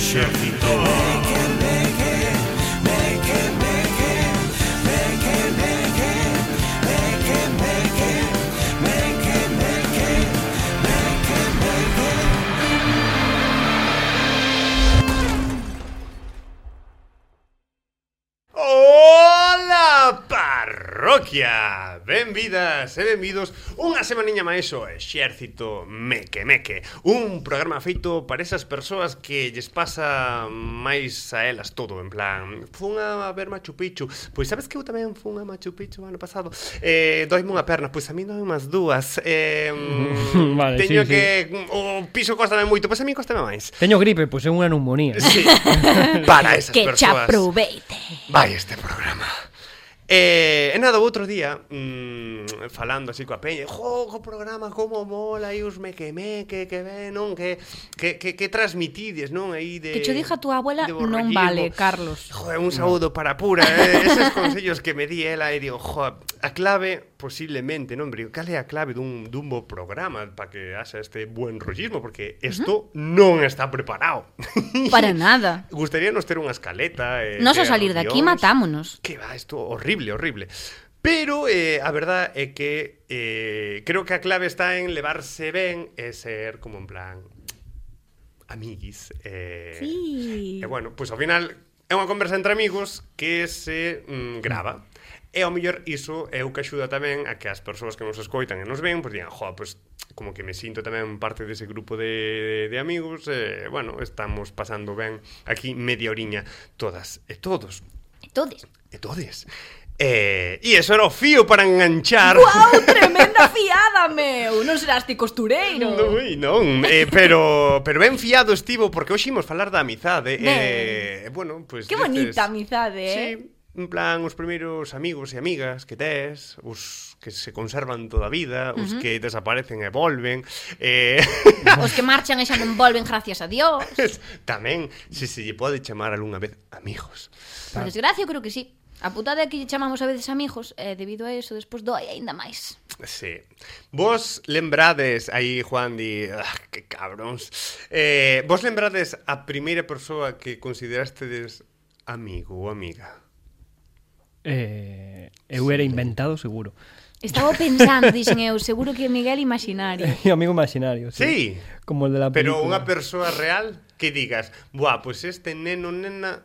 Exército. Hola, parroquia! Benvidas e benvidos unha semaniña máis ao Exército Meque Meque, un programa feito para esas persoas que lles pasa máis a elas todo, en plan, fun a ver Machu Picchu, pois sabes que eu tamén fun a Machu Picchu ano pasado, doime unha perna, pois a mí doime as dúas, vale, teño sí, que, o piso costame moito, pois a mí costame máis. Teño gripe, pois é unha neumonía. Sí, para esas que persoas. Que aproveite. Vai este programa. E nada, o outro día falando así coa peña, o programa como mola aí os meque-meque, que ven, non? Que transmitides, non? Aí de Que cho diga a túa abuela non vale, Carlos. Joder, un saúdo para Pura, eses consellos que me di ela e digo, joder, a clave posiblemente, non? Pero cal é a clave dun bo programa para que haxa este buen rollismo, porque isto non está preparado. Para nada. Gustaríanos ter unha escaleta. Nos a salir de aquí matámonos. Que va, isto horrible. Pero a verdad é que creo que a clave está en levarse ben e ser como en plan amiguis. Sí. E bueno, pois ao final é unha conversa entre amigos que se grava. E ao mellor iso é o que axuda tamén a que as persoas que nos escoitan e nos ven, pois digan, joa, pois como que me sinto tamén parte dese grupo de amigos, bueno, estamos pasando ben aquí media oriña todas e todos. E todes. E todes. E eso era o fío para enganchar. Guau, tremenda fiada, meu. Non serás ti costureiro. Non, pero ben fiado estivo, porque hoxe imos falar da amizade. Bueno, pues, que bonita amizade, Sí, en plan, os primeiros amigos e amigas que tes, os que se conservan toda a vida, os que desaparecen e volven, os que marchan e xa non volven, gracias a Dios. Tamén, se lle pode chamar algunha vez amigos. Por desgracia, eu creo que sí. A putada é que lle chamamos a veces amigos, e debido a eso, despois doi aínda máis. Sí. Vos lembrades, aí Juan di, que cabróns, vos lembrades a primeira persoa que considerastedes amigo ou amiga? Eu era inventado, seguro. Estaba pensando, dixen eu, seguro que Miguel imaginario. Amigo imaginario, Sí. sí. Como el de la película. Pero unha persoa real que digas, buah, pois este neno, nena...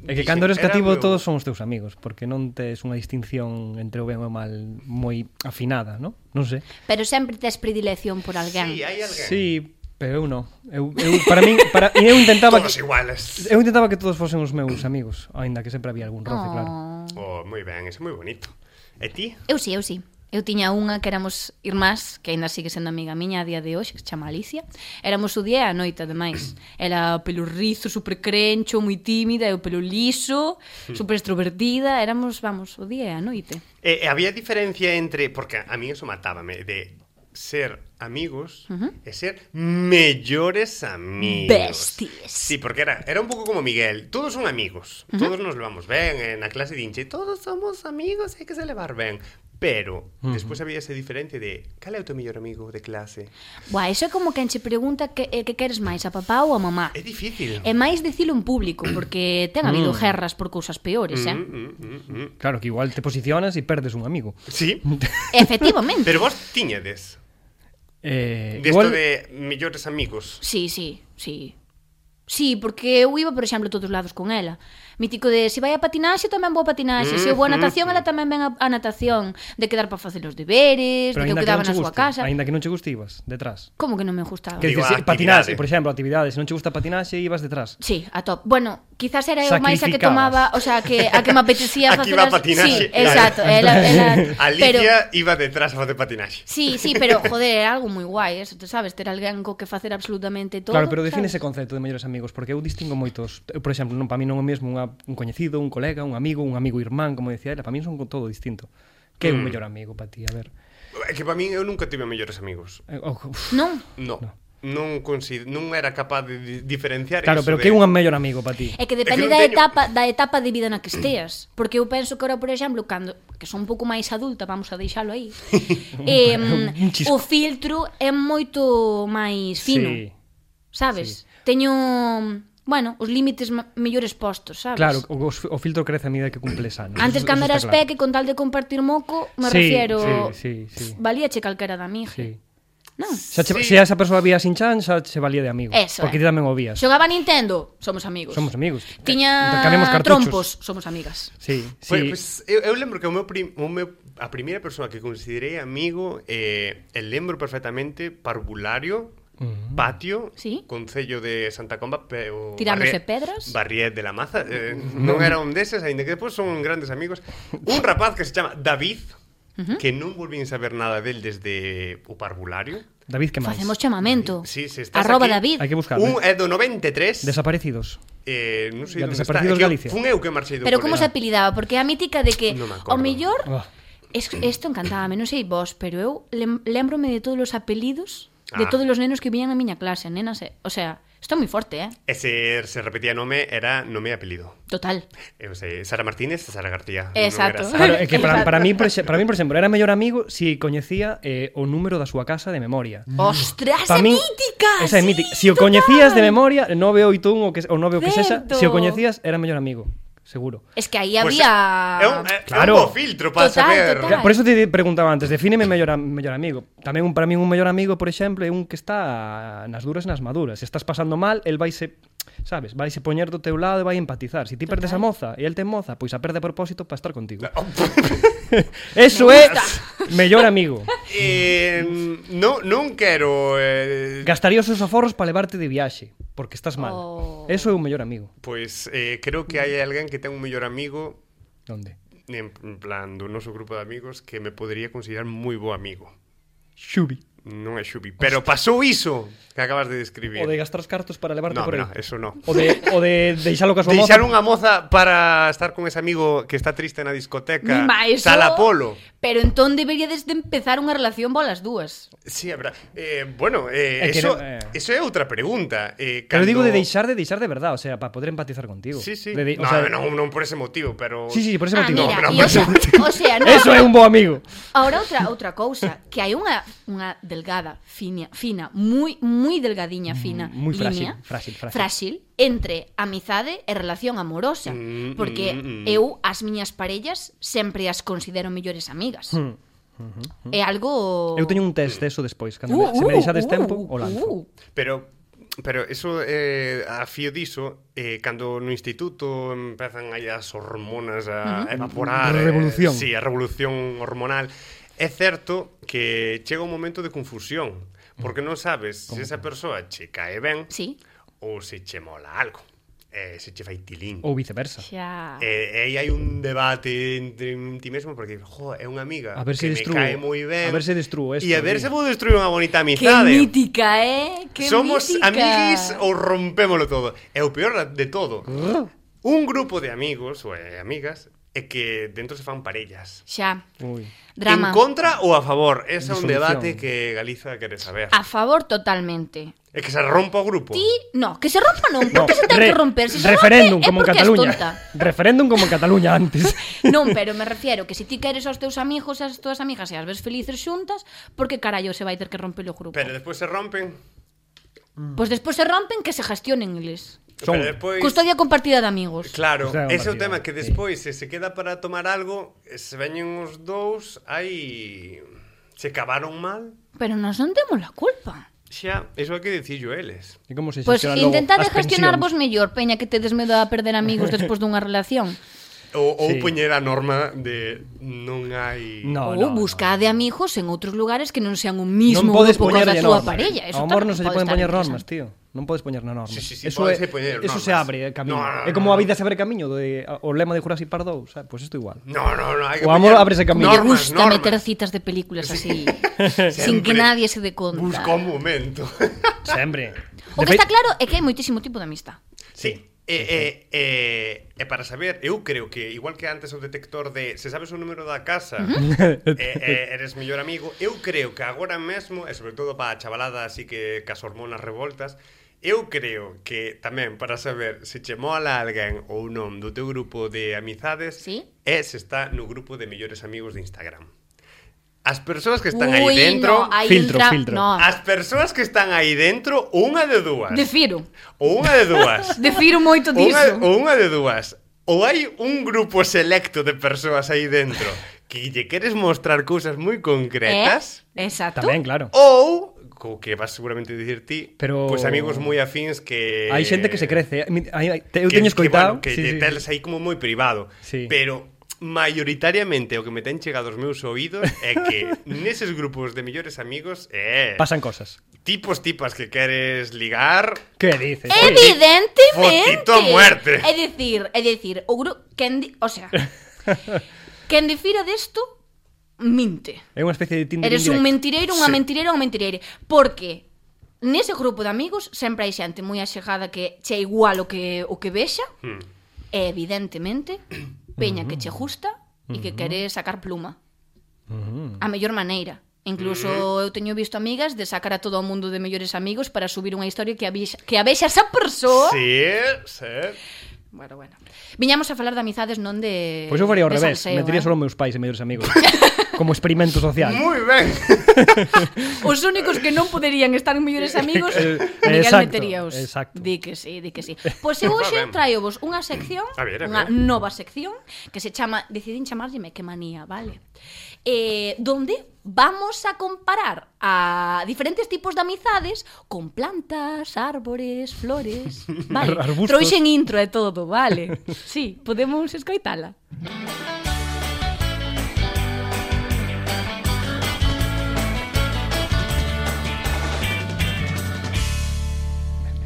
É que cando eres cativo todos son os teus amigos, porque non tes unha distinción entre o ben e o mal moi afinada, non? Non sei. Pero sempre tes predilección por alguén. Sí, hai alguén. Sí, pero eu non. Eu para min, eu intentaba todos iguales. Eu intentaba que todos fosen os meus amigos, aínda que sempre había algún roce, claro. Oh, moi ben, é moi bonito. E ti? Eu sí. Eu tiña unha que éramos irmás, que aínda sigue sendo amiga miña a día de hoxe, que se chama Alicia. Éramos o día e a noite, ademais. Era pelo rizo, super crencho, moi tímida, eu pelo liso, super extrovertida. Éramos, vamos, o día e a noite. Había diferencia entre, porque a mí eso matábame, de ser amigos e ser mellores amigos. Besties. Sí, porque era un pouco como Miguel. Todos son amigos, todos nos levamos ben. Na clase dinche, todos somos amigos, hai que se levar ben. Pero, despois había esa diferencia de cal é o teu mellor amigo de clase? Buah, eso é como quen che pregunta que queres máis, a papá ou a mamá. É difícil. É máis dicilo en público, porque ten habido guerras por cousas peores, Claro, que igual te posicionas e perdes un amigo. Sí. Efectivamente. Pero vos tiñedes desto igual... de mellores amigos. Sí. Sí, porque eu iba, por exemplo, a todos lados con ela. Mítico de, se vai a patinaxe, tamén vou a patinaxe. Se eu vou a natación, ela tamén ven a natación. De quedar para facer os deberes, pero de que eu quedaba na súa casa. Ainda que non che guste, ibas detrás. Como que non me gustaba? Que dices, patinaxe, por exemplo, actividades. Se non che gusta patinaxe, ibas detrás. Sí, a top. Bueno, quizás era eu máis a que tomaba, o sea, a que me apetecía facer. Aquí va a patinaxe. Sí, exacto. Ela Alicia iba detrás a facer patinaxe. Sí, pero, joder, era algo moi guai, eso, te sabes, ter alguén co que facer absolutamente todo. Claro, pero define ese concepto de mellores amigos, porque eu distingo moitos. Eu, por exemplo, non para mí non é o mesmo un coñecido, un colega, un amigo irmán, como decía ela, para mí son todo distinto. Que é un mellor amigo para ti, a ver? É que para mí eu nunca tive mellores amigos. Non? Non era capaz de diferenciar. Claro, pero que é un mellor amigo para ti? É que depende da etapa de vida na que esteas. Porque eu penso que ahora, por exemplo, cando que son un pouco máis adulta, vamos a deixalo aí, o filtro é moito máis fino, sabes? Teño bueno, os límites mellores postos, sabes? Claro, o filtro crece a medida que cumples anos. Antes, cando eras peque, con tal de compartir moco, me refiero... Sí. Valíache calquera da amiga. Sí. Non? Se a esa persoa vía sin chan, xa se valía de amigo. Eso, porque ti tamén o vías. Xogaba Nintendo, somos amigos. Somos amigos. Tiña Intercambiamos cartuchos. trompos, somos amigas. Sí. Pues, eu lembro que a primeira persoa que considerei amigo lembro perfectamente Parvulario, Patio, Sí. Concello de Santa Comba, Tirándose pedras. Barriet de la Maza, non era un deses, aínda que depois son grandes amigos. Un rapaz que se chama David, que non volvín saber nada del desde o Parvulario. David, que máis? Facemos chamamento. Sí, se estás Arroba aquí, David. Hai que buscarlo. Un é do 93. Desaparecidos. Non sei onde está. Desaparecidos Galicia. Fun eu que marchei do Pero como colexio. se apelidaba? Porque a mítica de que Non me acordo. o mellor... Oh. Isto encantábame, non sei vos, pero eu lembrome de todos os apelidos de Ah. todos os nenos que viñan na miña clase, nenas, o sea, isto é moi forte, E se repetía nome, era nome e apelido. Total. Eu sei, Sara Martínez e Sara García. Exacto. Non era Sara. Claro, é que para Exacto. mí, por exemplo, era mellor amigo si coñecía o número da súa casa de memoria. Ostras, Pa é min, mítica. esa é sí, mítica. Si o total. coñecías de memoria, 981 ou 9 o que sexa, Certo. si o coñecías, era mellor amigo. Seguro. Es que aí Pues había... é Claro. un bo filtro para Total, saber. total. Por eso te preguntaba antes, defíneme mellor amigo. Tamén para min un mellor amigo, por exemplo, é un que está nas duras e nas maduras. Se estás pasando mal, el vaise, sabes, vaise poñer do teu lado e vai empatizar. Se ti perdes a moza e el ten moza, pois a perde a propósito para estar contigo. Eso é mellor amigo. Non quero Gastaría os seus aforros para levarte de viaxe, porque estás mal. Oh. Eso é un mellor amigo. Pois creo que hai alguén que ten un mellor amigo Onde? en plan do noso grupo de amigos que me podería considerar moi bo amigo. Xubi. Non é Xubi, pero pasou iso que acabas de describir. O de gastar os cartos para levarte No, por aí. no, eso no. O de deixalo ca súa moza. Deixar unha moza para estar con ese amigo que está triste na discoteca. Ma, eso- Sala Polo. Pero entón deberíades de empezar unha relación bolas dúas. Sí, é verdad. Bueno, que eso, no, eso é outra pregunta. Pero digo de deixar de verdad, o sea, para poder empatizar contigo. Sí, sí. O No, sea, non por ese motivo, pero... Sí, por ese motivo. Mira, No, e o sea, no, Eso é un bo amigo. Ahora outra cousa, que hai unha delgada, fina, moi delgadiña, fina, Moi línea, frágil. entre amizade e relación amorosa, porque eu as miñas parellas sempre as considero mellores amigas. É algo... Eu teño un test de eso despois, cando se me deixades tempo, o lanzo. Pero eso, a fío diso, cando no instituto empezan aí as hormonas a evaporar... Revolución. Sí, a revolución hormonal. É certo que chega un momento de confusión, porque non sabes se esa persoa che cae ben Sí. ou se che mola algo, se che fai tilín. Ou viceversa. Xa... E aí hai un debate entre ti mesmo porque, é unha amiga A ver que se me destrúo. cae moi ben. A ver se destrúo esto. E a ver se vou destruir unha bonita Que amizade. mítica, Que Somos mítica. amiguis ou rompémolo todo. E o peor de todo, un grupo de amigos ou amigas é que dentro se fan parellas. Xa. Ui. Drama. En contra ou a favor? Ese é un Disolución. debate que Galiza quere saber. A favor totalmente. É que se rompa o grupo. Ti, no, que se rompa non, No, porque se ten que romper. Se se referéndum rompe, como en é porque Cataluña. és tonta. Referéndum como en Cataluña antes. Non, pero me refiero que se ti queres aos teus amigos e as túas amigas e as ves felices xuntas, porque carallo se vai ter que romper o grupo? Pero despois se rompen. Pois despois se rompen que se gestionen eles. Son- Pero despois... Custodia compartida de amigos. Claro, Custodia ese é o compartida, tema que sí. despois se queda para tomar algo, se veñen os dous, aí se cavaron mal. Pero nós non temos a culpa. Xa, iso hai que dicillo eles. E como se Pois xestionan logo intentade as gestionarvos pensións? mellor, peña, que tedes medo a perder amigos despois dunha relación. Ou Sí. poñer a norma de non hai... No, Ou buscade amigos en outros lugares que non sean o mismo Non podes grupo que o da poñerlle súa normas. parella. Eso Ao amor tamén non se lle pode poden estar poñer normas, interesante. tío. Non podes poñer na normas. Sí, Eso pódense poñer eso normas. se abre camiño. No, É como a vida se abre camiño, o lema de Jurassic Park 2, sabe? Pois isto igual. No, hai que O amor poñer ábrese camiño. Me normas, gusta normas. meter citas de películas así, sin Sempre que nadie se dé conta. Busca un momento. Sempre. O que está claro é que hai moitísimo tipo de amistad. Sí. E para saber, eu creo que igual que antes o detector de se sabes o número da casa eres mellor amigo, eu creo que agora mesmo, e sobre todo para a chavalada así que cas hormonas revoltas, eu creo que tamén para saber se che mola alguén ou non do teu grupo de amizades Sí. é se está no grupo de mellores amigos de Instagram. As persoas que están aí dentro... no, hai Filtro, un filtro. No. As persoas que están aí dentro, unha de dúas. Defiro. Ou unha de dúas. Defiro moito diso. Unha de dúas. Ou hai un grupo selecto de persoas aí dentro que lle queres mostrar cousas moi concretas. Exacto. Tamén, claro. Ou, co que vas seguramente dicir ti, Pero- pois amigos moi afíns que... Hai xente que se crece. Eu que, teño escoitado. Que lle teles aí como moi privado. Sí. Pero maioritariamente o que me ten chegado aos meus oídos é que neses grupos de mellores amigos Pasan cosas. tipos tipas que queres ligar. Que dices? Evidentemente. Fotito a muerte. É dicir, o grupo o sea, quen difira desto minte. É unha especie de Tinder Eres un indirecto. mentireiro, unha mentireira, unha mentireira. Porque nese grupo de amigos sempre hai xente moi axegada que che igual o que vexa. E evidentemente peña que che gusta e que quere sacar pluma. A mellor maneira. Incluso eu teño visto amigas de sacar a todo o mundo de mellores amigos para subir unha historia que a vexa esa persoa. Sí, sí. Bueno. Viñamos a falar de amizades, non de Pois eu faría ao de revés. salseo, Metería solo meus pais e mellores amigos. Como experimento social. Moi ben. Os únicos que non poderían estar en mellores amigos, Miguel Exacto, meteríaos. exacto. Di que sí. Pois eu hoxe Ben. traio-vos unha sección, A ver. unha nova sección que se chama, decidín chamarlle Me que manía, vale? Donde vamos a comparar a diferentes tipos de amizades con plantas, árbores, flores, vale? Arbustos. Trouxen intro e todo, vale? Sí, podemos escoitala.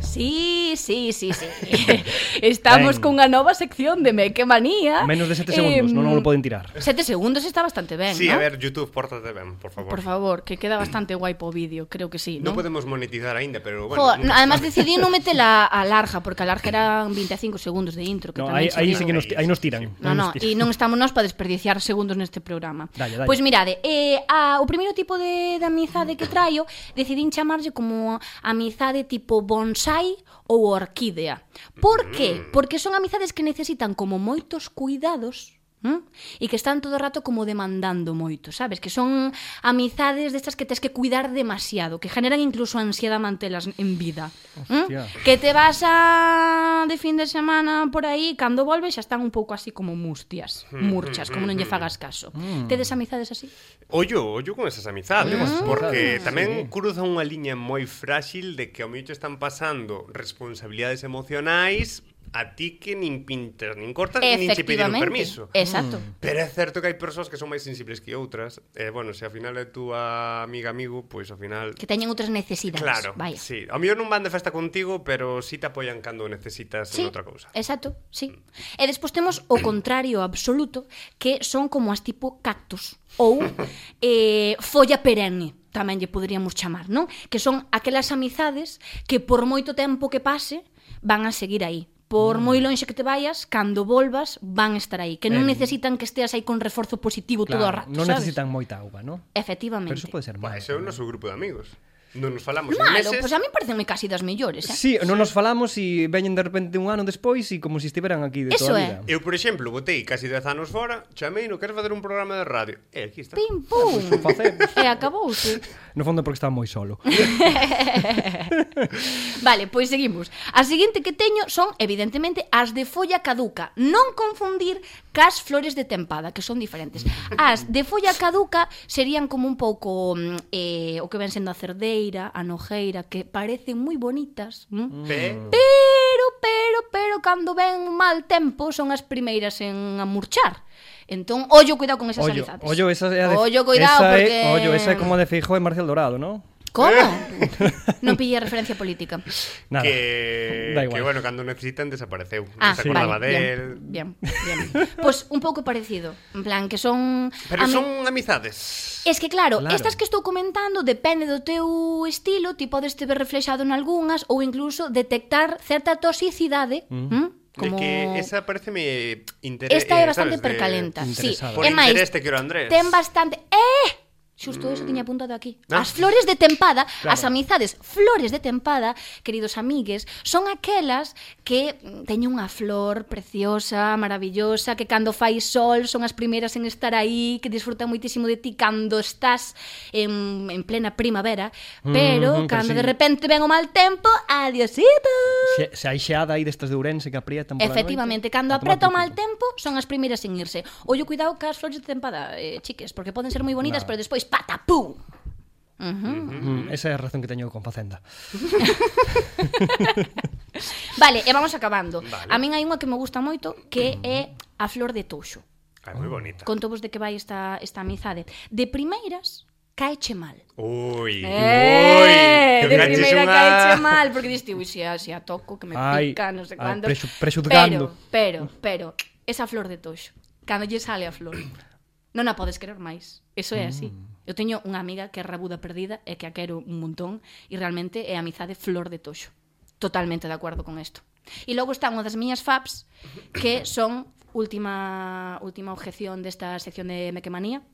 Sí. Estamos Ben. cunha nova sección de Me que manía. Menos de 7 segundos, non o poden tirar. 7 segundos está bastante ben, Sí, ¿no? a ver, YouTube, pórtate ben, por favor. Por favor, que queda bastante guai po vídeo, creo que sí, Non ¿no? podemos monetizar aínda, pero bueno. Jo, además decidí non metela a larga, porque a larga eran 25 segundos de intro, que No, tamén aí se sí que nos, aí nos tiran. No, e non estamos nós para desperdiciar segundos neste programa. Dalle. Pois mirade, o primeiro tipo de amizade que traio decidín chamarlle como amizade tipo bonsai ou orquídea. Por qué? Porque son amizades que necesitan como moitos cuidados, e que están todo o rato como demandando moito, sabes? Que son amizades destas que tes que cuidar demasiado, que generan incluso ansiedade mantelas en vida. Hostia. Que te vas de fin de semana por aí, cando volves xa están un pouco así como murchas, como non lle fagas caso. Tedes amizades así? Ollo con esas amizades, porque Sí. tamén cruza unha liña moi frágil de que ao mellor te están pasando responsabilidades emocionais a ti que nin pintas, nin cortas, nin che piden un permiso. Exacto. Pero é certo que hai persoas que son máis sensibles que outras. Bueno, se ao final é túa amigo, pois ao final... Que teñen outras necesidades. Claro, Vaya. sí. Ao mellor non van de festa contigo, pero sí te apoian cando necesitas en outra cousa. Exacto, sí. E despois temos o contrario absoluto, que son como as tipo cactus ou folla perenne, tamén lle poderíamos chamar, non? Que son aquelas amizades que por moito tempo que pase van a seguir aí. Por moi lonxe que te vayas, cando volvas van estar aí, que non necesitan que esteas aí con reforzo positivo todo o rato, non sabes? necesitan moita auga, ¿no? Efectivamente. Pero eso pode ser Bah, máis. ese é o noso grupo de amigos. Non nos falamos en Malo, meses. pois a mí pareceme casi das mellores, Sí, non nos falamos e veñen de repente un ano despois e como se estiveran aquí de Eso toda a é. vida. Eu, por exemplo, botei casi 10 anos fora, chamei, non queres facer un programa de radio? E aquí está. Pim, pum. Facemos. E acabouse. No fondo porque estaba moi solo. Vale, pois seguimos. A seguinte que teño son, evidentemente, as de folla caduca. Non confundir cas flores de tempada, que son diferentes. As de folla caduca serían como un pouco o que ven sendo a cerdeira, a nojeira, que parecen moi bonitas, pero cando ven un mal tempo son as primeiras en amurchar. Entón, ollo, cuidado con esas amizades. Ollo, esa é a de... Ollo, cuidado, esa porque... esa é como a de Feijóo e Marcial Dorado, ¿no? Como? Non pillei referencia política. Nada. Da igual. Que bueno, cando necesitan desapareceu. Ah, Non se acordaba vale, del... bien. Pois un pouco parecido. En plan, que son... Pero son amizades. Es que claro, Claro. estas que estou comentando depende do teu estilo, ti podes te ver reflexado en algunhas ou incluso detectar certa toxicidade, como... De que esa pareceme interés. Esta é bastante percalenta. Sí, Interesada. Por é máis, interés te quero, Andrés. ten bastante... Xusto eso tiña apuntado aquí. Ah. As flores de tempada, Claro. as amizades flores de tempada, queridos amigues, son aquelas que teñen unha flor preciosa, maravillosa, que cando fai sol son as primeiras en estar aí, que disfrutan moitísimo de ti cando estás en plena primavera, pero cando pero de sí. repente ven o mal tempo, adiosito. Se hai xeada aí destas de Ourense que aprietan pola Efectivamente, noite, cando a tomar apreta o por mal culo. tempo son as primeiras en irse. Ollo, cuidado cas flores de tempada, chiques, porque poden ser moi bonitas, pero despois patapum. Esa é a razón que teño con Facenda. Vale, e vamos acabando. Vale. A min hai unha que me gusta moito, que é a flor de toxo. Moi bonita. Contovos de que vai esta amizade. De primeiras, caeche mal. Ui, De caches primeira unha- caeche mal, porque diste, ui, se a toco, que me Ai, pica, non sei ai, cuándo. prexudgando. Pero, esa flor de toxo, cando lle sale a flor, non a podes querer máis. Eso é así. Eu teño unha amiga que é rabuda perdida e que a quero un montón e realmente é a amizade flor de toxo. Totalmente de acordo con isto. E logo está unha das miñas faps que son última objeción desta sección de Mequemanía,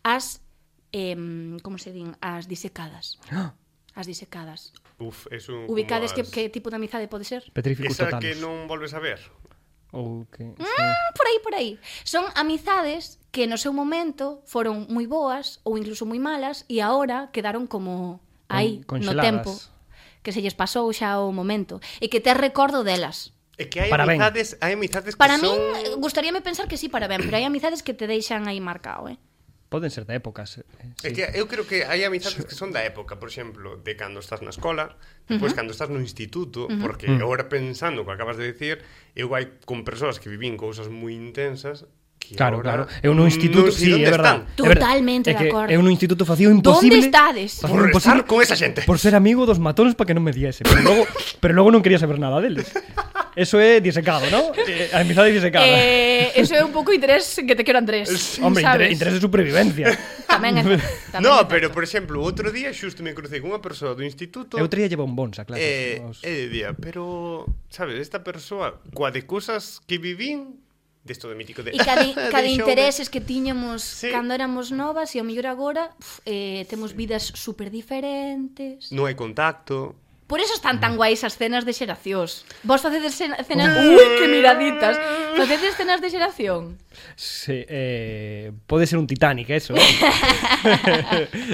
as como se din, as disecadas. As disecadas. Uf, eso Ubicades como as- que tipo de amizade pode ser? Petríficos Esa totalos. que non volves a ver. Ou que... Por aí. Son amizades que no seu momento foron moi boas ou incluso moi malas e agora quedaron como aí, no Conxeladas. tempo, que se lles pasou xa o momento e que tes recordo delas. É que hai Para ben. amizades que Para son... min, gustaríame pensar que sí para ben, pero hai amizades que te deixan aí marcado, Poden ser de épocas. É que eu creo que hai amizades que son da época, por exemplo, de cando estás na escola, depois cando estás no instituto, porque agora pensando o que acabas de decir, eu hai con persoas que vivín cousas moi intensas que Claro, agora claro. Eu no instituto, non sei sí, onde é verdade. están. É verdade. Totalmente É que de acordo. Eu no instituto facía o imposible. Onde estades? Facía Por o imposible estar con esa xente. Por ser amigo dos matóns para que non me diese. Pero logo non quería saber nada deles. Eso é disecado, ¿no? A amizade disecada. Eso é un pouco interés que te quero Andrés. Hombre, sabes? interés de supervivencia. Tamén é tamén No, é pero certo. por exemplo, outro día xusto me crucei con unha persoa do instituto Eu traía bombóns a clase. e día, pero sabes, esta persoa coa de cousas que vivín desto de mítico de E cada deixoume- intereses que tiñamos Sí. cando éramos novas e ao mellor agora temos vidas super diferentes. non hai contacto. Por eso están tan guais as cenas de xeracións. Vos facedes cenas... Ui, que miraditas! Facedes cenas de xeración? Sí, pode ser un Titanic, eso.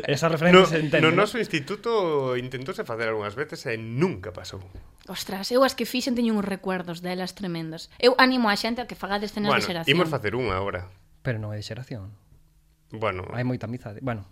Esa referencia se entende. No ¿no? noso instituto intentouse facer algunhas veces e nunca pasou. Ostras, eu as que fixen teño uns recuerdos delas tremendas. Eu animo a xente a que fagades cenas de Bueno, xeración. imos facer unha agora. Pero non é de xeración. Bueno, Hai moita amizade. Bueno,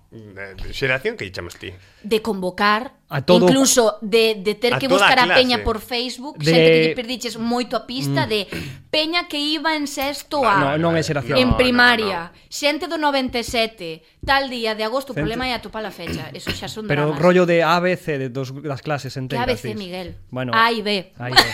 xeración que chamas ti? De convocar, A todo- incluso de ter a que toda buscar a a clase. peña por Facebook, De- xente que lle perdiches moito a pista de peña que iba en sexto A. non é xeración. En No, primaria, xente do 97, tal día de agosto, o Xente- problema é atopar a fecha. Eso xa son Pero dramas. rollo de A, B, C de das clases Que enteras. ABC, dis. Miguel. Bueno, A e B. A e B.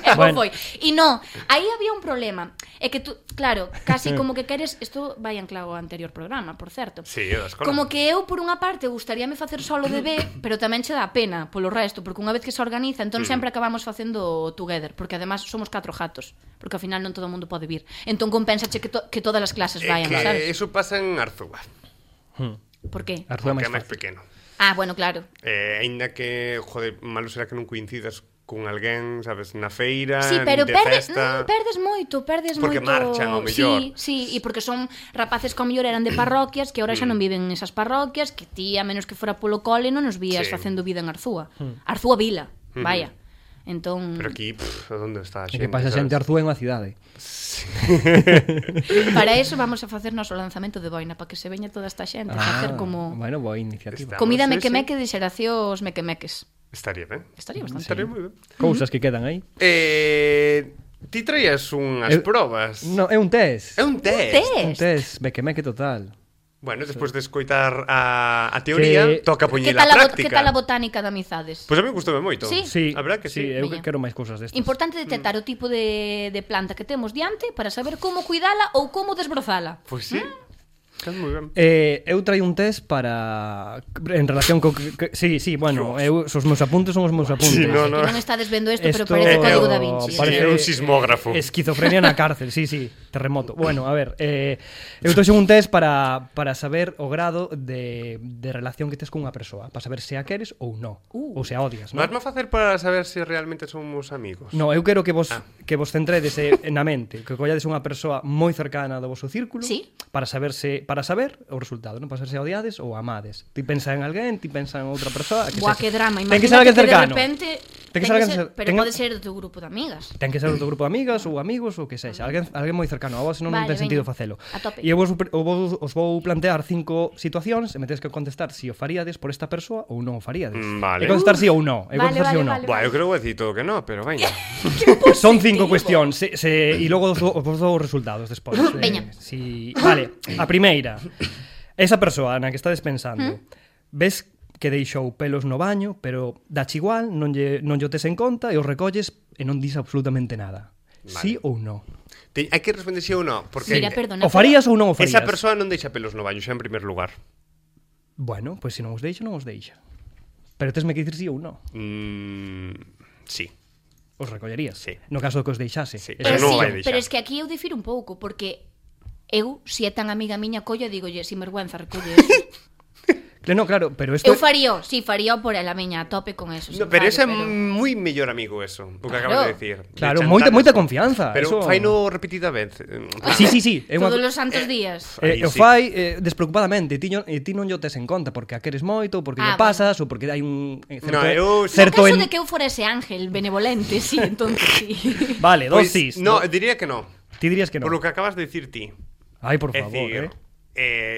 E Bueno. foi. E non, aí había un problema. É que tú, claro, casi como que queres... Isto vai anclado ao anterior programa, por certo. Sí, da escola. Como que eu, por unha parte, gustaríame facer solo de B, pero tamén che dá pena polo resto, porque unha vez que se organiza, entón sempre acabamos facendo together, porque además somos 4 gatos, porque ao final non todo o mundo pode vir. Entón compensache que todas as clases vayan, que sabes? eso pasa en Arzúa, Por qué? Arzúa que máis é máis fácil. pequeno. Ah, bueno, claro. Aínda que, joder, malo será que non coincidas con alguén, sabes, na feira, Sí, pero de perdes festa. perdes Porque moito. marchan, ao mellor. Sí, e porque son rapaces que ao mellor eran de parroquias que agora xa non viven nesas parroquias, que ti, a menos que fora polo cole, non nos vías Sí. facendo vida en Arzúa. Arzúa Vila, vaya. Entón, Pero aquí, onde está a E xente? que pasa sabes? xente Arzúa é unha cidade. para eso vamos a facer noso lanzamento de boina, para que se veña toda esta xente, facer como Bueno, boa iniciativa. Está. comida Vamos, sí, meque-meque de xeracións meque-meques. Estaría ben. Estaría bastante Estaría ben. moi ben. Cousas que quedan aí. Ti traías unhas Eu- probas. No, é un test. É un test. Un test, meque total. Bueno, despois de escoitar a teoría, Que- toca Que poñela tal, a práctica. que tal a botánica de amizades? Pois a mí gustoume moito. Sí? Sí, A verdad que sí. eu Veña. quero máis cousas destas. Importante detectar o tipo de planta que temos diante para saber como cuidala ou como desbrozala. Pois sí. Estás moi ben. Eu traio un test para en relación co sí, bueno, os meus apuntes son os meus apuntes. Sí, no. Que non estades vendo isto, pero Esto parece Código da Vinci. Parece un sismógrafo. Esquizofrenia na cárcel, sí, terremoto. Bueno, a ver, eu trouxe un test para saber o grado de relación que tes con unha persoa, para saber se a queres ou non, ou se a odias, non? Vas-me a facer para saber se realmente somos amigos? No, eu quero que vos centredes na mente, que collades unha persoa moi cercana do vosso círculo, Sí. para saber o resultado, non? Para saber se odiades ou amades. Ti pensa en alguén, ti pensa en outra persoa, Buah, que drama. Ten que ser alguén cercano. De repente, Ten que ser alguén pero pode ser do teu grupo de amigas. Ten que ser do teu grupo de amigas ou amigos ou que sexa, alguén moi cercano a vos, senón non Vale, ten sentido veña, facelo. a tope. E eu os vou plantear 5 situacións e me tedes que contestar si o faríades por esta persoa ou non o faríades. Vale. E contestar si ou non. E Vale, contestar si ou non. vale. Buah, eu creo que vou dicir todo que no, pero veña. Son 5 cuestións e logo os dou os resultados despois. Veña. Vale, a primeira. Esa persoa na que estades pensando, ves que deixou pelos no baño, pero dache igual, non lle tes en conta e os recolles e non dis absolutamente nada. Vale. Sí ou non? Hai que responder si ou non, porque Mira, perdona. O farías ou non o farías? esa persoa non deixa pelos no baño, xa en primer lugar. Bueno, pois se non os deixa, non os deixa. Pero tesme que dicir sí ou non. Sí. Os recollerías? Sí. No caso de que os deixase. Sí. Pero, non o sí, vai deixar. pero es que aquí eu difiro un pouco, porque eu, se é tan amiga miña, collo e digolle, sin vergüenza, recolle eso. No, claro, pero isto... Eu farío por ela miña, a tope con eso. No, pero ese é moi mellor amigo eso, o que acabas de decir. Claro, De moita chantanes. confianza. Pero eso... faino repetida vez. Sí. É unha... Todos os santos días. O Sí. fai despreocupadamente, ti non yo tes en conta porque a queres moito, porque lle pasas ou porque hai un No, eu- certo No caso de que eu fora ese ángel benevolente, sí, entonces sí. Vale, Pois, dosis. no, diría que no. Ti dirías que non. Por lo que acabas de decir ti. Ai, por É favor, dicir,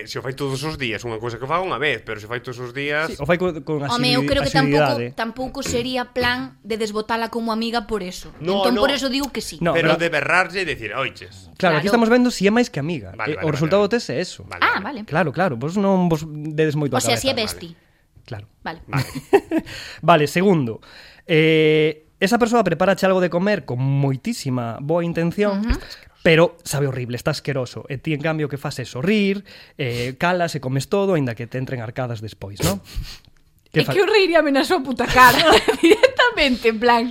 se o fai todos os días, unha cousa que faga unha vez, pero se o fai todos os días... Sí, o fai con Home, eu creo que asiduidade. tampouco sería plan de desbotala como amiga por eso. No, entón no. por eso digo que sí. No, pero pero- de berrarlle e decir, oiches. Claro, aquí Claro. estamos vendo si é máis que amiga. Vale, O resultado vale. tes é eso. Vale, Ah, vale. vale. Claro, vos non vos dedes moito O a sea, cabeza. si é besti. Claro. Vale. Vale. Vale, segundo. Esa persoa preparache algo de comer con moitísima boa intención, pero sabe horrible, está asqueroso. E ti, en cambio, que fas é sorrir, calas e comes todo, aínda que te entren arcadas despois, non? É que eu reiríame na súa puta cara directamente, en plan,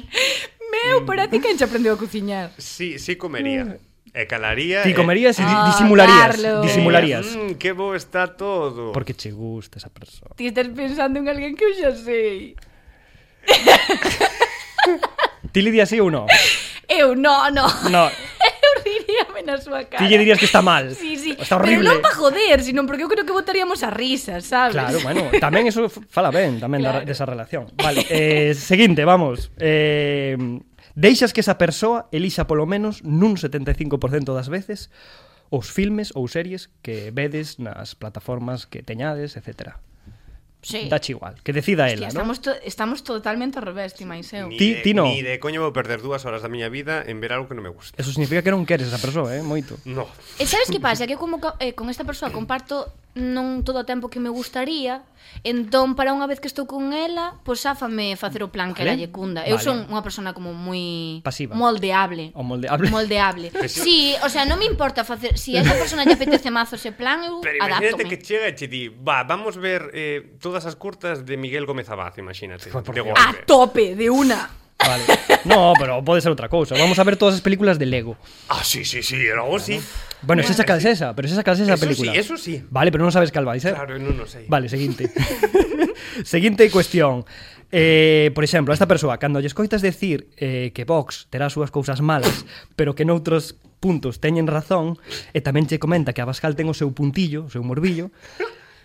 meu, para ti quen che aprendeu a cociñar? Sí, comería. E calaría... Ti comerías e Ah, disimularías. Carlos. Disimularías. Que bo está todo. Porque che gusta esa persoa. Ti estás pensando en alguén que eu xa sei. Ti le dirías sí ou non? Eu, no. No. Eu reiríame na súa cara. Ti lle dirías que está mal. Sí. Está Pero horrible. non para joder, sino porque eu creo que botaríamos a risas, sabes? Claro, bueno, tamén eso fala ben tamén Claro. desa relación. Vale, seguinte, vamos. Deixas que esa persoa elixa polo menos nun 75% das veces os filmes ou series que vedes nas plataformas que teñades, etcétera. Sí. Dache igual, que decida ela, Hostia, non? estamos totalmente ao revés, ti máis eu. Ti no. Ni de coño vou perder 2 horas da miña vida en ver algo que non me gusta. Eso significa que non queres esa persoa, moito. No. E sabes que pasa? Que eu como con esta persoa comparto non todo o tempo que me gustaría, entón para unha vez que estou con ela, pois sáfame facer o plan que Vale. ela lle cunda. Eu Vale. son unha persona como moi Pasiva. moldeable. O moldeable. Moldeable. Sí, o sea, non me importa facer, si a esa persona lle apetece mazo ese plan, eu Pero imagínate adáptome. que chega e che di, vamos ver todas as curtas de Miguel Gómez Abad, imagínate. Por De Dios. A golpe. tope, de una. Vale. No, pero pode ser outra cousa. Vamos a ver todas as películas de Lego. Ah, sí, logo sí. Bueno, esa cal esa, pero esa cal esa Eso película. sí, eso sí. Vale, pero non sabes cal vai ser. Claro, non o sei. Vale, seguinte. Seguinte cuestión. Por exemplo, a esta persoa, cando lle escoitas decir que Vox terá as súas cousas malas, pero que noutros puntos teñen razón, e tamén che comenta que Abascal ten o seu puntillo, o seu morbillo,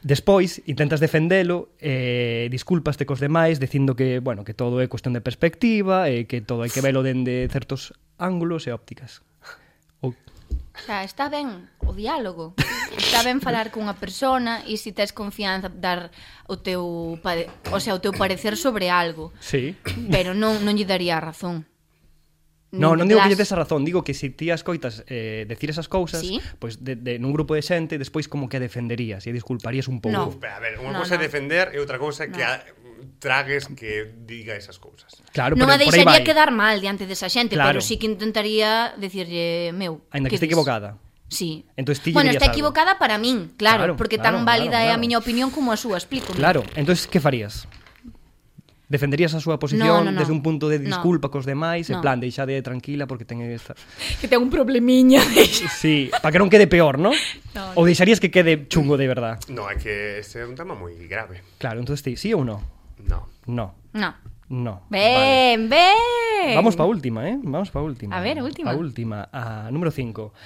despois intentas defendelo, discúlpaste cos demais dicindo que, bueno, que todo é cuestión de perspectiva e que todo hai que velo dende certos ángulos e ópticas. Ou O sea, está ben o diálogo. Está ben falar cunha persona e se tes confianza dar o teu, o sea, o teu parecer sobre algo, sí. pero non lle daría a razón. No, non digo que lle Las- tes a razón, digo que se ti as coitas decir esas cousas, Sí. pois nun grupo de xente, despois como que a defenderías e disculparías un pouco. No. Pero, a ver, unha No, cousa é no. defender e outra cousa é que No. tragues que diga esas cousas. Claro, Non a pero por aí deixaría vai. quedar mal diante desa xente, Claro. pero sí que intentaría decirlle, meu, Ainda que que este dis? equivocada. Sí. Entonces ti Bueno, dirías está algo. equivocada para min, claro, Claro, porque claro, tan válida claro, é a claro. miña opinión como a súa, explico. Claro, entonces que farías? Defenderías a súa posición No. desde un punto de No. disculpa cos demais, en No. plan, deixade tranquila porque ten esta... Que ten un problemiña. Sí, para que non quede peor, ¿no? No, Ou deixarías que quede chungo de verdad? No, é que este é un tema moi grave. Claro, entonces ti, sí ou no? No. No, No. no. Ben, ben. Vamos pa última, Vamos pa última. A ver, a última. A última, a número 5.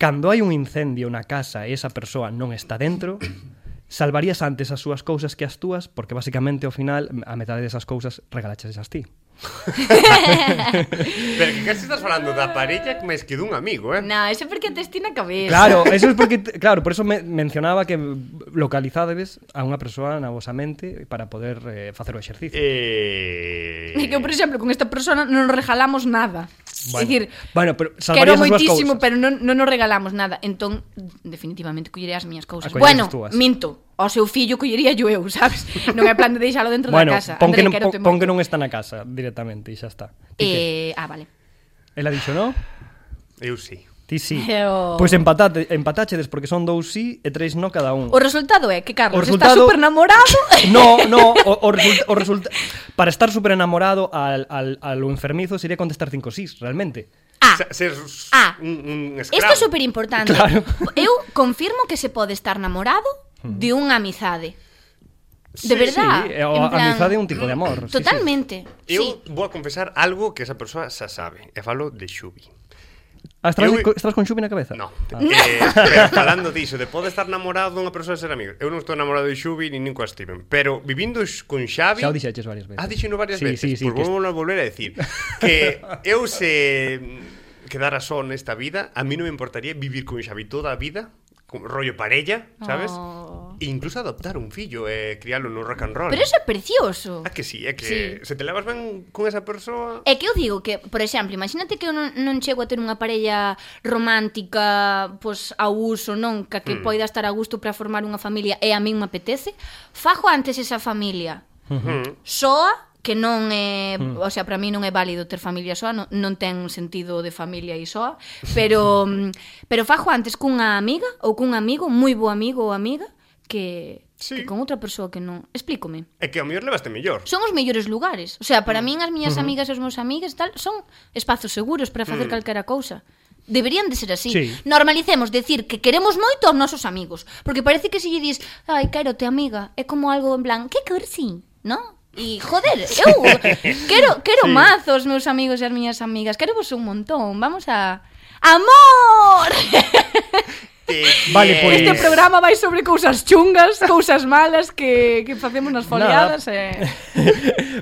Cando hai un incendio na casa e esa persoa non está dentro, salvarías antes as súas cousas que as túas, porque basicamente ao final a metade desas cousas regalaches as ti. Pero que casi estás falando da parella máis que dun amigo, No, eso porque te estina a cabeza. Claro, eso es porque claro, por eso mencionaba que localizades a unha persoa na vosa mente para poder facer o exercicio. E que, por exemplo, con esta persona non nos regalamos nada. Bueno, É dicir, bueno, pero quero salvarías as súas moitísimo, cousas. pero non nos regalamos nada. Entón, definitivamente, colleré as miñas cousas. A coller Bueno, as túas. minto. Ao seu fillo collería yo eu, sabes? Non é plan de deixalo dentro Bueno, da casa. pon que, André, non, quérote pon que moito. non está na casa directamente e xa está. Ti que? Vale. Ela dixo, no? Eu sí. Ti sí. Pero- Pois empatáchedes porque son 2 sí e 3 no cada un. O resultado é que Carlos O resultado- está super enamorado. No, para estar super enamorado al lo enfermizo sería contestar 5 sís, realmente. Ser un escravo. Isto é super importante. Claro. Eu confirmo que se pode estar namorado de unha amizade. De verdad. Sí, a amizade é un tipo de amor. sí, Totalmente. Eu Sí. vou a confesar algo que esa persoa xa sabe. E falo de Xubi. Ah, estás Eu- con Xubi na cabeza? No. Ah. Pero falando diso, de pode estar namorado dunha persoa e ser amigo. Eu non estou namorado de Xubi nin coa Steven. Pero vivindo con Xavi... Xa o dixeches varias veces. Dixeno varias Sí, veces. sí, Pois que vou volver a decir que eu se quedara só nesta vida, a mí non me importaría vivir con Xavi toda a vida, con rollo parella, sabes? Oh. E incluso adoptar un fillo e crialo no rock and roll. Pero eso é precioso. Ah, que sí, é que Sí. se te levas ben con esa persoa... É que eu digo que, por exemplo, imagínate que eu non chego a ter unha parella romántica pois a uso, non, que poida estar a gusto para formar unha familia e a min me apetece, fago antes esa familia soa, que non é, o sea, para mí non é válido ter familia soa, non ten sentido de familia e soa, pero fago antes cunha amiga ou cun amigo, moi bo amigo ou amiga, que con outra persoa que non. Explícome. É que ao mellor levaste mellor. Son os mellores lugares. O sea, para min as miñas amigas e os meus amigas tal son espazos seguros para facer calquera cousa. Deberían de ser así. Sí. Normalicemos decir que queremos moito aos nosos amigos, porque parece que se lle dis, ai, quérote amiga, é como algo en plan, que cursi, ¿no? E, joder, eu quero mazo os meus amigos e as miñas amigas, quero vos un montón, vamos a... ¡Amor! Vale, pois... Este programa vai sobre cousas chungas, cousas malas que facemos nas foliadas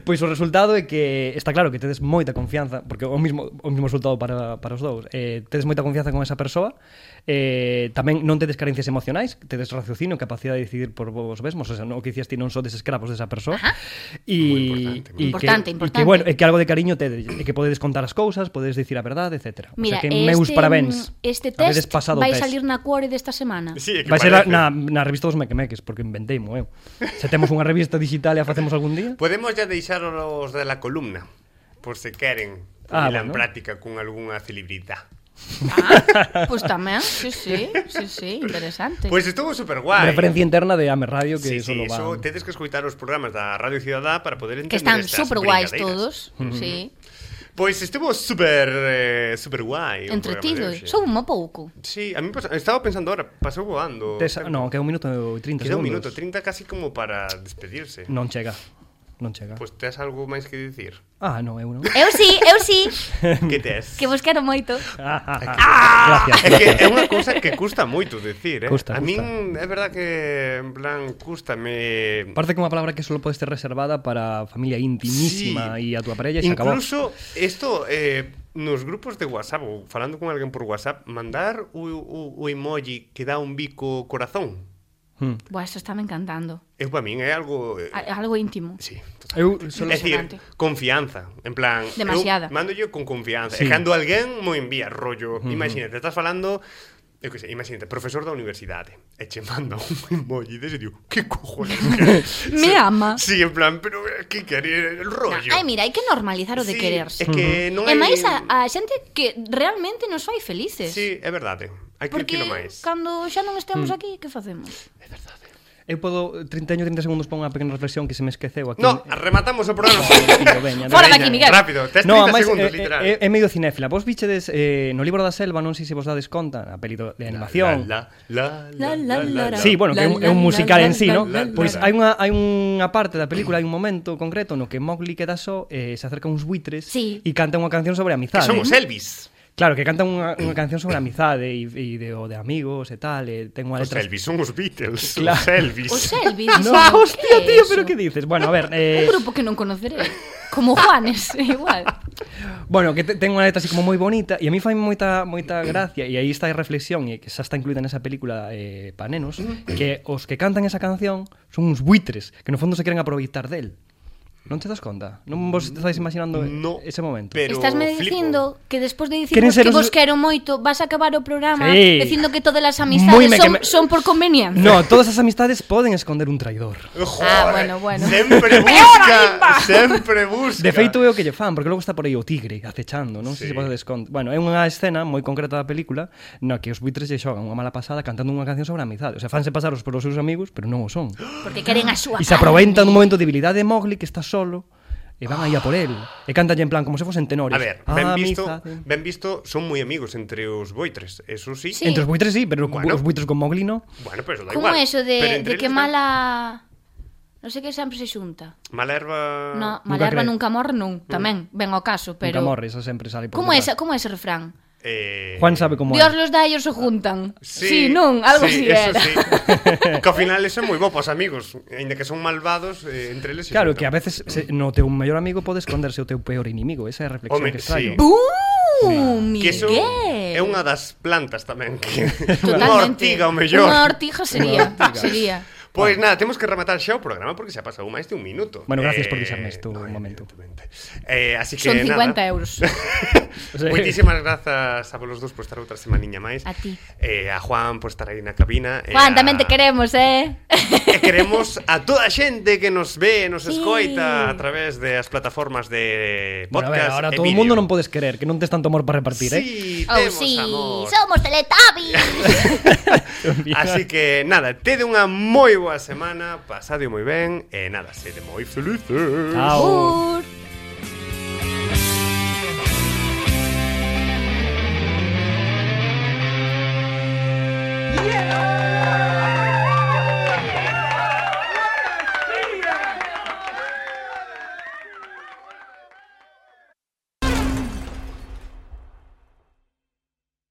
Pois o resultado é que está claro que tedes moita confianza, porque o mismo resultado para os dous, tedes moita confianza con esa persoa, tamén non tedes carencias emocionais, tedes raciocinio, capacidade de decidir por vos mesmos, o sea, o que dicías ti non sodes escravos desa persoa. Importante. Que bueno, é que algo de cariño tedes, e que podedes contar as cousas, podedes dicir a verdade, etc. Mira, o sea, que meus parabéns. Este Habedes test pasado vai o test. salir na cuore desta semana. Sí, é que Vai ser parece. na revista dos Mequemeques, porque inventeimo eu. Se temos unha revista digital e a facemos algún día. Podemos ya deixar os de la columna, por se queren poñela en práctica con algunha celebrita. Pois tamén, sí, interesante. Pois estuvo super guai. Referencia interna de Ame Radio que Sí, solo eso van. tedes que escoitar os programas da Radio Ciudadá para poder entender Que están estas super guais brincadeiras. todos, sí. Pois estuvo super guai o Entretido, programa de hoxe. sou un pouco. Sí, a mí estaba pensando ahora, pasou voando. No, que é 1 minuto e 30 Queda un segundos. minuto 30 casi como para despedirse. Non chega. Pois tes algo máis que dicir? Ah, non, eu non. Eu sí. Que tes? Que vos quero moito. Gracias. É que é unha cousa que custa moito decir, Custa. A min é verdad que en plan cústame. Parece que unha palabra que solo pode ser reservada para familia intimísima e a túa parella e se acabou. Incluso isto nos grupos de WhatsApp ou falando con alguén por WhatsApp, mandar o emoji que dá un bico corazón. Buah, eso está me encantando. Eu para min é algo Algo íntimo. sí. Eu solo É dicir, confianza, en plan, Demasiada. eu mando yo con confianza. Sí. E cando alguén mo envía rollo, imagínate, estás falando, eu que sei, imagínate, profesor da universidade, e che manda un emoji dese, digo, que cojones? Me ama. Sí, en plan, pero que quere el rollo? Ai, mira, hai que normalizar o de Sí, quererse. é que non E hai... máis a xente que realmente nos fai felices. Sí, é verdade. Hai que Porque ir máis. cando xa non estemos aquí, que facemos? É verdade. Eu podo 30 segundos para unha pequena reflexión que se me esqueceu aquí. No, rematamos o programa. Fora daqui, Miguel. Rápido, tes 30 No, ademais, segundos, literal. é medio cinéfila. Vos bichedes no libro da selva, non sei se vos dades conta, a peli de animación. Sí, bueno, que é un musical en sí, ¿no? Pois hai unha parte da película, hai un momento concreto no que Mowgli queda só, se acerca uns buitres Sí. e canta unha canción sobre Que amizade. son os Elvis. Claro, que canta unha canción sobre amizade e de amigos e tal, e ten unha Os letra... Elvis son os Beatles. Claro. Os Elvis. O Selvi, No, hostia, tío, pero que dices? Bueno, a ver... Un grupo que non conoceré. Como Juanes, igual. Bueno, que ten unha letra así como moi bonita e a mí fai moita gracia e aí está a reflexión e que xa está incluída nesa película pa nenos que os que cantan esa canción son uns buitres que no fondo se queren aproveitar del. Non te das conta? Non vos estáis imaginando ese momento? Pero Estásme flipo. dicindo que despois de Queren dicirnos ser que os- vos quero moito, vas a acabar o programa Sí. dicindo que todas as Moi amistades me que me- son por conveniencia. No, todas as amistades poden esconder un traidor. Joder, bueno. Sempre busca, sempre busca. De feito é o que lle fan, porque logo está por aí o tigre acechando, non sei Sí. se pode desconto. Bueno, é unha escena moi concreta da película na que os buitres lle xogan unha mala pasada cantando unha canción sobre a amizade. O sea, fanse pasaros polos seus amigos, pero non o son. Porque queren a súa E se aproveitan dun momento de debilidade de Mowgli que está solo e van aí a por él. E cantan en plan como se fosen tenores. A ver, ben visto, son moi amigos entre os boitres, eso sí. Sí. Entre os buitres sí, pero Bueno. os buitres con Mowgli no. Bueno, pero eso da Como igual. eso Pero de entre que eles mala... Non sei que sempre se xunta. Mala erva... No, Nunca mala erva cree. nunca morre, non. Tamén, ven ao caso, pero... Nunca morre, eso sempre sale por Como é detrás. ese refrán? Juan sabe como Dios é. los da e ellos se juntan. Sí, non, algo así eso era. sí. Que ao final eso é moi bo pos amigos, aínda que son malvados, entre eles se Claro, xuntan. que a veces no teu mellor amigo pode esconderse o teu peor inimigo. Esa é a reflexión Home, que extraio. sí. ¡Bum! Que eso Miguel. é unha das plantas tamén que Totalmente. unha ortiga o mellor. Unha ortiga sería. sería. Pois nada, temos que rematar xa o programa porque xa pasou máis de un minuto. Bueno, gracias por deixarme isto un momento. evidentemente. Así que Son 50 nada. euros. Moitísimas grazas a vos dos por estar outra semaniña máis. A ti. A Juan por estar aí na cabina. Juan, tamén te queremos, E queremos a toda a xente que nos ve, nos Sí. escoita a través das plataformas de Bueno, a ver, podcast ahora e todo o vídeo. mundo non podes querer, que non tes tanto amor para repartir, Sí, Oh, temos sí, amor. somos Teletubbies. Así que nada, tede unha moi boa semana, pasade moi ben e nada, sede moi felices. Chao. Ur. Yeah!